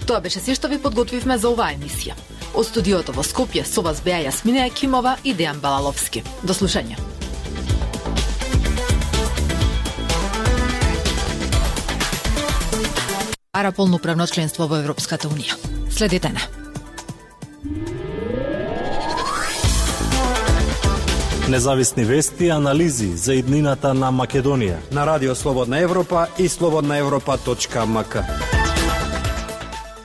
Тоа беше се што ви подготвивме за оваа емисија. Од студиото во Скопје со вас беа Јасмина Јакимова и Дејан Балаловски. До слушање. Ара полноправно членство во Европската Унија. Следете на. Независни вести и анализи за иднината на Македонија на Радио Слободна Европа и slobodnaevropa.mk.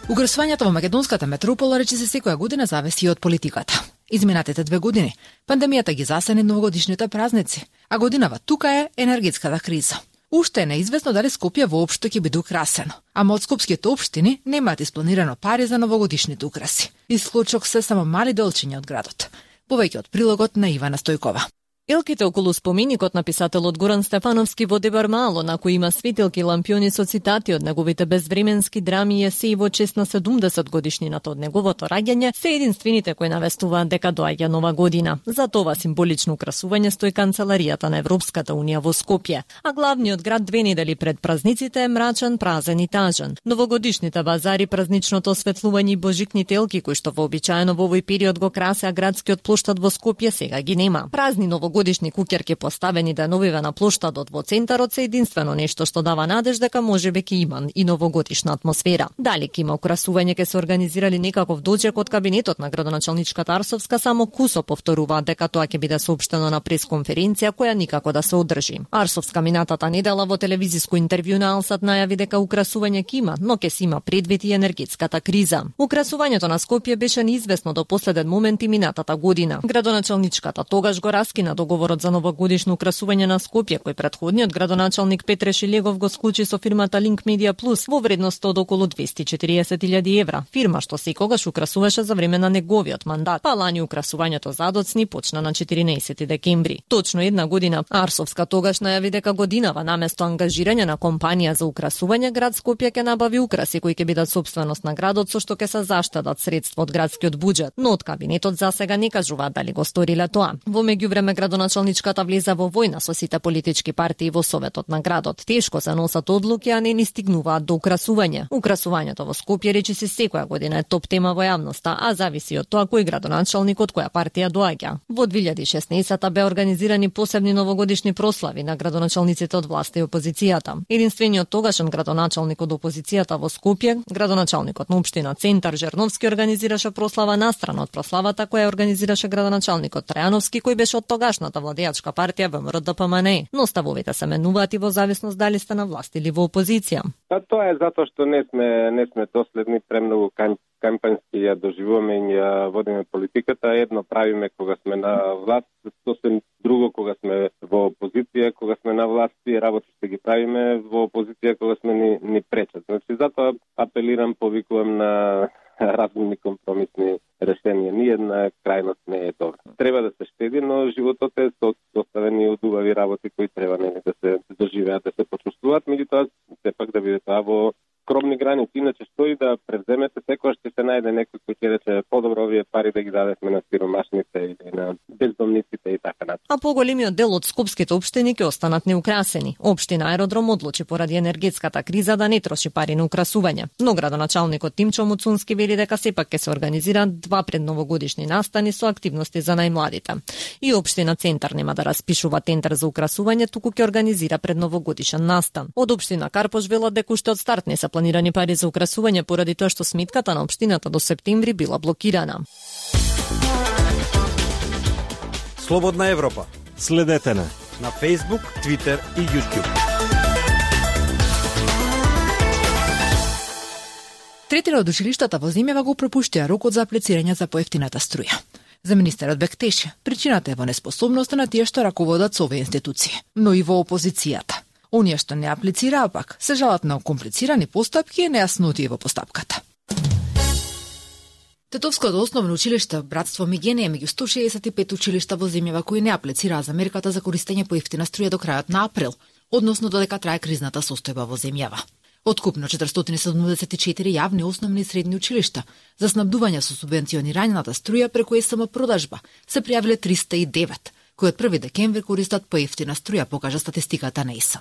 Угрсувањето во македонската метропола рече се секоја година зависи од политиката. Изминатите 2 години пандемијата ги засени новогодишните празници, а годинава тука е енергетската криза. Уште е неизвестно дали Скопје воопшто ќе биде украсено, ама од скопските општини немаат испланирано пари за новогодишните украси. Исклучок се само мали делчиња од градот. Повеќе од прилогот на Ивана Стојкова. Елките околу споменикот на писателот Горан Стефановски во Дебар Мало, на кој има светилки и лампиони со цитати од неговите безвременски драми и есеи во чест на 70 годишнината од неговото раѓање, се единствените кои навестуваат дека доаѓа нова година. За тоа символично украсување стои канцеларијата на Европската Унија во Скопје, а главниот град 2 недели пред празниците е мрачен, празен и тажен. Новогодишните базари, празничното осветлување и божикните елки кои што вообичаено во овој период го красеа градскиот плоштад во Скопје сега ги нема. Празни новогодишни куќерки поставени деновиве на плоштадот во центарот се единствено нешто што дава надеж дека можеби ќе има и новогодишна атмосфера. Дали ќе има украсување, ќе се организирали некаков дочек од кабинетот на градоначалничката Арсовска, само кусо повторуваат дека тоа ќе биде соопштено на пресконференција која никако да се одржи. Арсовска минатата недела во телевизиско интервју на Алсат најави дека украсување ќе има, но ќе се има предвид и енергетската криза. Украсувањето на Скопје беше неизвестно до последен момент и минатата година. Градоначалничката тогаш го раскина договорот за новогодишно украсување на Скопје, кој претходниот градоначалник Петре Шилегов го склучи со фирмата Link Media Plus во вредност од околу 240.000 евра, фирма што секогаш украсуваше за време на неговиот мандат. Па лани украсувањето задоцни почна на 14 декември. Точно една година Арсовска тогаш најави дека годинава наместо ангажирање на компанија за украсување, град Скопје ќе набави украси кои ќе бидат сопственост на градот со што ќе се заштедат средства од градскиот буџет, но од кабинетот засега не кажуваат дали го сториле тоа. Во меѓувреме градоначалничката влеза во војна со сите политички партии во советот на градот. Тешко се носат одлуки, а не ни стигнуваат до украсување. Украсувањето во Скопје речи се секоја година е топ тема во јавноста, а зависи од тоа кој градоначалник од која партија доаѓа. Во 2016 бе организирани посебни новогодишни прослави на градоначалниците од власта и опозицијата. Единствениот тогашен градоначалник од опозицијата во Скопје, градоначалникот на општина Центар Жерновски, организираше прослава настрана од прославата која организираше градоначалникот Трајановски, кој беше од тогашната владеачка партија ВМРО-ДПМНЕ, но ставовите се менуваат и во зависност дали сте на власт или во опозиција. Тоа е затоа што не сме доследни, премногу кампањски ја доживуваме и ја водиме политиката. Едно правиме кога сме на власт, сосем друго кога сме во опозиција, кога сме на власт и работите ги правиме во опозиција кога сме ни пречат. Значи затоа апелирам, повикувам на разумни компромисни решенија. Ниедна крајност не е добра. Треба да се штеди, но животот е составен од убави работи кои треба да се доживеат, да се почувствуваат, меѓутоа сепак да биде тоа во скромни граници. Иначе што и да превземете, секогаш ќе се најде некој кој ќе рече подобро овие пари да ги дадеме на сиромашните или на бездомниците и така натаму. А поголемиот дел од скопските општини ќе останат неукрасени. Општина Аеродром одлучи поради енергетската криза да не троши пари на украсување. Но градоначалникот Тимчо Муцунски вели дека сепак ќе се организираат 2 предновогодишни настани со активности за најмладите. И општина Центар нема да распишува тендер за украсување, туку ќе организира предновогодишен настан. Од општина Карпош велат дека уште од старт не се планирани пари за украсување поради тоа што сметката на општината до септември била блокирана. Слободна Европа. Следете на Facebook, Twitter и YouTube. Третира од училиштата во земјава го пропуштија рокот за аплицирање за поевтината струја. За министерот Бектеше, причината е во неспособноста на тие што раководат со овие институции, но и во опозицијата. Оние што не аплицираа пак се жалат на комплицирани постапки и нејаснотии во постапката. Тетовското основно училиште Братство Мигене е меѓу 165 училишта во земјава кои не аплицираа за мерката за користење по ефтина струја до крајот на април, односно додека трае кризната состојба во земјава. Откупно 474 јавни основни и средни училишта за снабдување со субвенционираната струја преку СМ продажба се пријавиле 309, кои од 1 декември користат поевтина струја, покажа статистиката на СМ.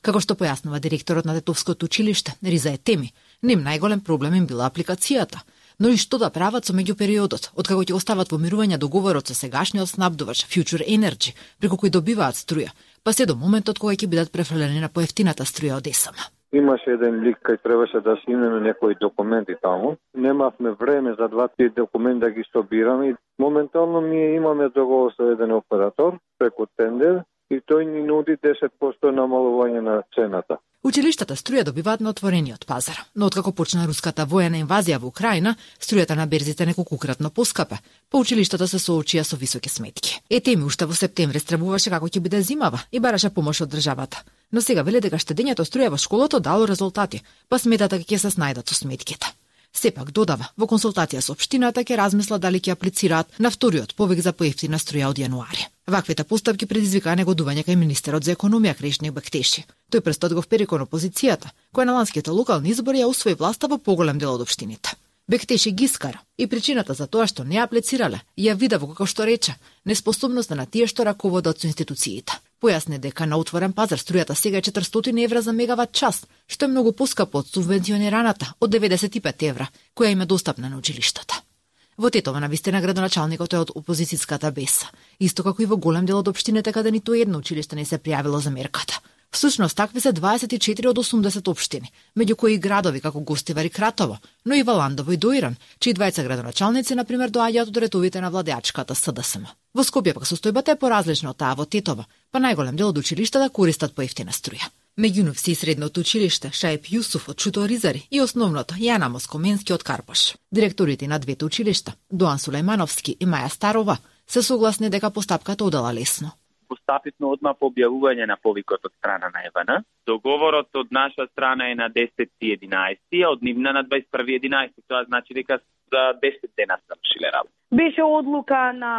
Како што појаснува директорот на Тетовското училиште, Риза Етеми, Ним најголем проблем им била апликацијата. Но и што да прават со меѓупериодот, откако ќе остават во мирување договорот со сегашниот снабдувач Future Energy, преку кој добиваат струја, па се до моментот кога ќе бидат префрлени на поевтината струја од ЕСМ. Имаше еден лик кај требаше да снимеме некои документи таму. Немавме време за тие документи да ги собираме. Моментално ние имаме договор со еден оператор преку тендер и тој ни нуди 10% намалување на цената. Училиштата струја добиваат на отворениот пазар, но откако почна руската воена инвазија во Украина, струјата на берзите неколкократно поскапа, па училиштата се соочија со високи сметки. Етеми уште во септември страбуваше како ќе биде зимава и бараше помош од државата. Но сега веле дека штедењето струја во школото дало резултати, па сметат дека ќе се снајдат со сметките. Сепак додава, во консултација со општината ќе размисла дали ќе аплицираат на вториот повик за поевтина струја од јануари. Ваквите постапки предизвикаа негодување кај министерот за економија Кришни Бектеши. Тој престот го впери кон опозицијата, која на ланските локални избори ја усвои власта во поголем дел од општините. Бектеши ги скара и причината за тоа што не аплицирале ја вида во како што рече неспособноста на тие што раководат со институциите. Појасни дека на отворен пазар струјата сега е 400 евра за мегават час, што е многу поскапо од субвенционираната од 95 евра, која им е достапна на училиштата. Во Тетово навистина градоначалникот е од опозицијската БЕС, исто како и во голем дел од општините каде ниту едно училиште не се пријавило за мерката. Всушност, такви се 24 од 80 општини, меѓу кои градови како Гостивар и Кратово, но и Валандово и Доиран, чии двајца градоначалници, например, доаѓаат од ретовите на владеачката СДСМ. Во Скопје пак состојбата е поразлична од таа во Тетово, па најголем дел од училиштата користат поевтина струја. Меѓу нив се и средното училиште Шаип Јусуф од Чуторизари и основното Јана Москоменски од Карпош. Директорите на двете училишта, Доан Сулејмановски и Маја Старова, се согласни дека постапката одела лесно. Постапивме одма по објавување на повикот од страна на ЕВН. Договорот од наша страна е на 10.11, а од нивна на 21.11. Тоа значи дека за 10 дена завршиле работа. Беше одлука на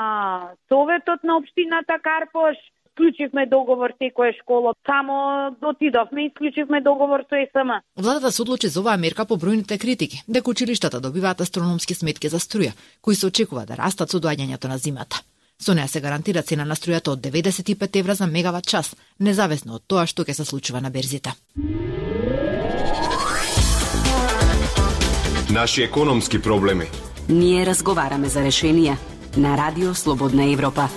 Советот на општината Карпош. Склучивме договор секоја школа. Само отидовме и склучивме договор со ЕСМ. Владата се одлучи за оваа мерка по бројните критики, дека училиштата добиваат астрономски сметки за струја, кои се очекува да растат со доаѓањето на зимата. Со неа се гарантира цена на струјата од 95 евра за мегават час, независно од тоа што ќе се случува на берзите. Наши економски проблеми. Ние разговараме за решенија на Радио Слободна Европа.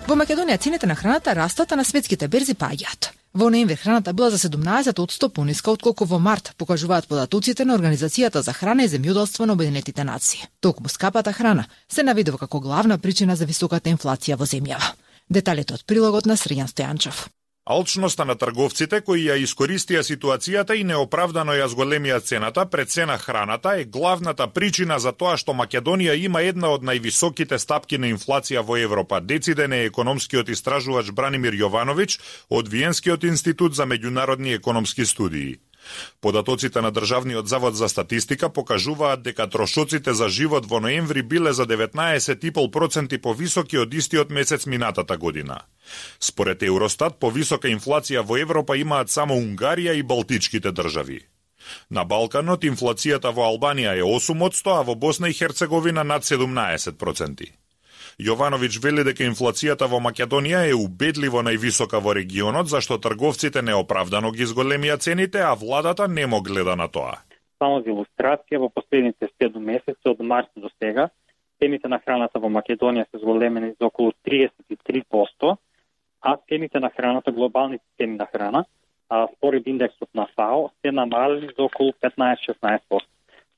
Во Македонија цените на храната растат, а на светските берзи паѓаат. Во ноември храната била за 17% пониска отколку во март, покажуваат податоците на Организацијата за храна и земјоделство на Обединетите нации. Токму скапата храна се наведува како главна причина за високата инфлација во земјава. Деталите од прилогот на Срјан Стојанчев. Алчноста на трговците кои ја искористија ситуацијата и неоправдано ја зголемија цената пред цена храната е главната причина за тоа што Македонија има една од највисоките стапки на инфлација во Европа, дециден е економскиот истражувач Бранимир Јовановиќ од Виенскиот институт за меѓународни економски студии. Податоците на Државниот завод за статистика покажуваат дека трошоците за живот во ноември биле за 19,5% повисоки од истиот месец минатата година. Според Евростат, повисока инфлација во Европа имаат само Унгарија и Балтичките држави. На Балканот инфлацијата во Албанија е 8%, а во Босна и Херцеговина над 17%. Јовановиќ вели дека инфлацијата во Македонија е убедливо највисока во регионот, зашто трговците неоправдано ги зголемија цените, а владата немо гледа на тоа. Само за илустрација, во последните 7 месеци од март до сега, цените на храната во Македонија се зголемени за околу 33%, а цените на храната, глобалните цени на храна, според индексот на ФАО, се намалени за околу 15-16%.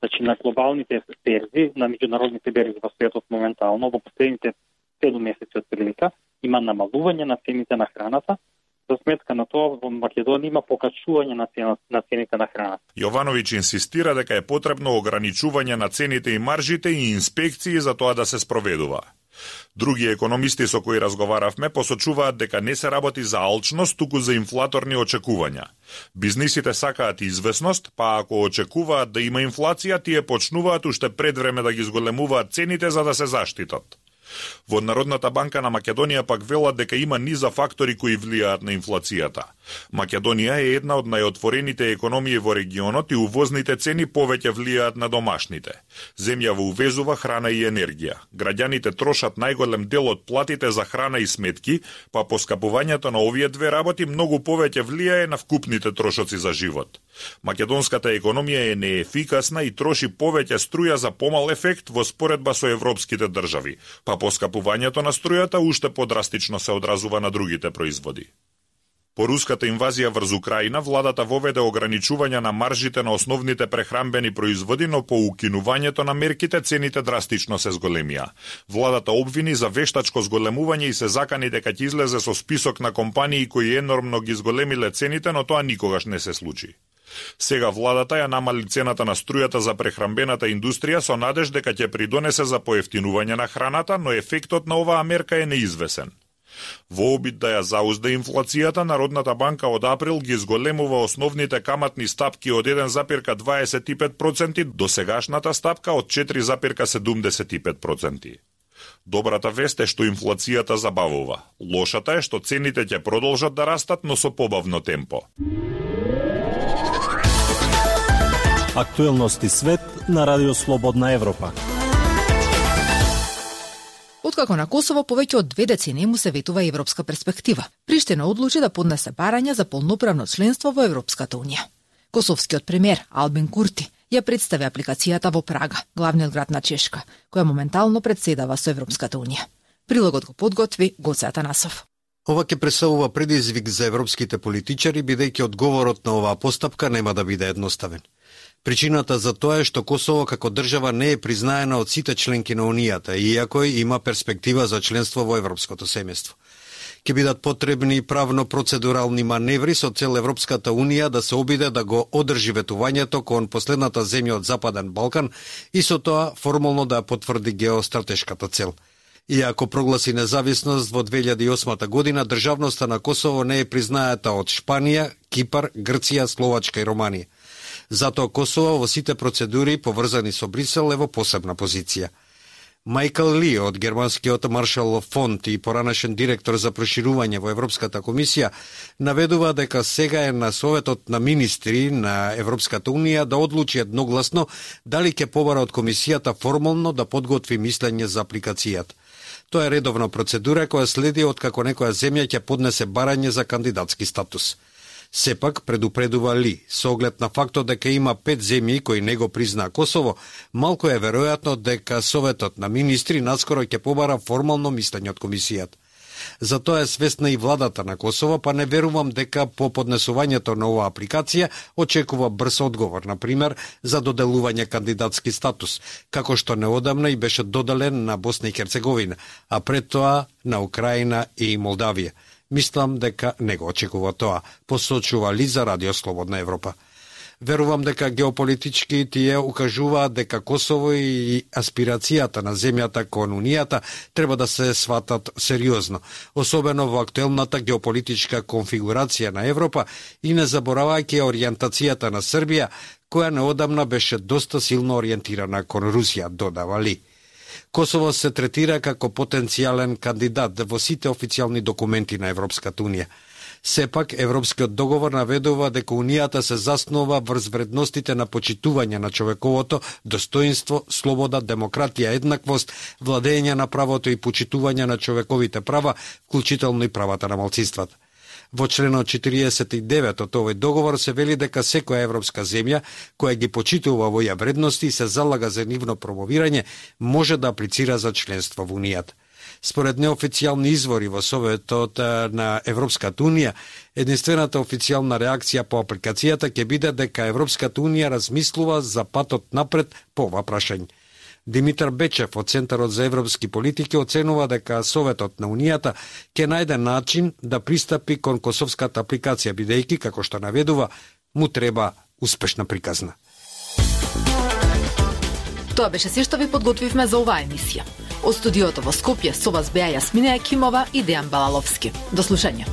Значи на глобалните берзи, на меѓународните берзи во светот моментално, во последните 7 месеци од прилика, има намалување на цените на храната. За сметка на тоа, во Македонија има покачување на цените на храната. Јовановиќ инсистира дека е потребно ограничување на цените и маржите и инспекции за тоа да се спроведува. Други економисти со кои разговаравме посочуваат дека не се работи за алчност, туку за инфлаторни очекувања. Бизнисите сакаат известност, па ако очекуваат да има инфлација, тие почнуваат уште пред време да ги зголемуваат цените за да се заштитат. Во Народната банка на Македонија пак велат дека има низа фактори кои влијаат на инфлацијата. Македонија е една од најотворените економии во регионот и увозните цени повеќе влијаат на домашните. Земјава увезува храна и енергија. Граѓаните трошат најголем дел од платите за храна и сметки, па поскапувањето на овие две работи многу повеќе влијае на вкупните трошоци за живот. Македонската економија е неефикасна и троши повеќе струја за помал ефект во споредба со европските држави, па поскапувањето на струјата уште подрастично се одразува на другите производи. По руската инвазија врз Украина, владата воведе ограничување на маржите на основните прехранбени производи, но по укинувањето на мерките цените драстично се зголемија. Владата обвини за вештачко зголемување и се закани дека ќе излезе со список на компании кои енормно ги зголемиле цените, но тоа никогаш не се случи. Сега владата ја намали цената на струјата за прехранбената индустрија со надеж дека ќе придонесе за поевтинување на храната, но ефектот на оваа мерка е неизвесен. Во обид да ја заузда инфлацијата, Народната банка од април ги зголемува основните каматни стапки од 1,25% до сегашната стапка од 4,75%. Добрата вест е што инфлацијата забавува. Лошата е што цените ќе продолжат да растат, но со побавно темпо. Актуелности свет на Радио Слободна Европа. Откако на Косово повеќе од 2 децении му се ветува европска перспектива, Приштина одлучи да поднесе барање за полноправно членство во Европската унија. Косовскиот премиер Албин Курти ја представи апликацијата во Прага, главниот град на Чешка, која моментално претседава со Европската унија. Прилогот го подготви Гоце Атанасов. Ова ќе представува предизвик за европските политичари, бидејќи одговорот на оваа постапка нема да биде едноставен. Причината за тоа е што Косово како држава не е признаена од сите членки на Унијата, иако има перспектива за членство во европското семејство. Ќе бидат потребни правно-процедурални маневри со цел Европската Унија да се обиде да го одржи ветувањето кон последната земја од Западен Балкан и со тоа формално да потврди геостратешката цел. Иако прогласи независност во 2008 година, државноста на Косово не е признаета од Шпанија, Кипар, Грција, Словачка и Романија. Затоа Косово во сите процедури поврзани со Брисел е во посебна позиција. Майкл Ли од германскиот Маршалов фонд и поранешен директор за проширување во Европската комисија наведува дека сега е на Советот на министри на Европската унија да одлучи едногласно дали ќе побара од комисијата формално да подготви мислење за апликацијата. Тоа е редовна процедура која следи откако некоја земја ќе поднесе барање за кандидатски статус. Сепак, предупредува Ли, со оглед на фактот дека има 5 земји кои не го признаа Косово, малку е веројатно дека Советот на министри наскоро ќе побара формално мислење од комисијата. Затоа е свесна и владата на Косово, па не верувам дека по поднесувањето на оваа апликација очекува брз одговор, например, за доделување кандидатски статус, како што неодамна и беше доделен на Босна и Херцеговина, а пред тоа на Украина и Молдавија. Мислам дека не го очекува тоа, посочува Ли за Радио Слободна Европа. Верувам дека геополитички тие укажуваат дека Косово и аспирацијата на земјата кон Унијата треба да се сватат сериозно, особено во актуелната геополитичка конфигурација на Европа и не заборавајќи ориентацијата на Србија, која неодамна беше доста силно ориентирана кон Русија, додава Ли. Косово се третира како потенцијален кандидат во сите официјални документи на Европската унија. Сепак, Европскиот договор наведува дека Унијата се заснова врз вредностите на почитување на човековото достоинство, слобода, демократија, еднаквост, владење на правото и почитување на човековите права, вклучително и правата на малцинствата. Во членот 49 од овој договор се вели дека секоја европска земја која ги почитува овие вредности и се залага за нивно промовирање може да аплицира за членство во Унијата. Според неофицијални извори во Советот на Европската унија, единствената официјална реакција по апликацијата ќе биде дека Европската унија размислува за патот напред по ова прашање. Димитар Бечев од Центарот за европски политики оценува дека Советот на Унијата ќе најде начин да пристапи кон косовската апликација, бидејќи, како што наведува, му треба успешна приказна. Тоа беше се што ви подготвивме за оваа емисија. Од студиото во Скопје со вас беа Јасмина Екимова и Дејан Балаловски. До слушање.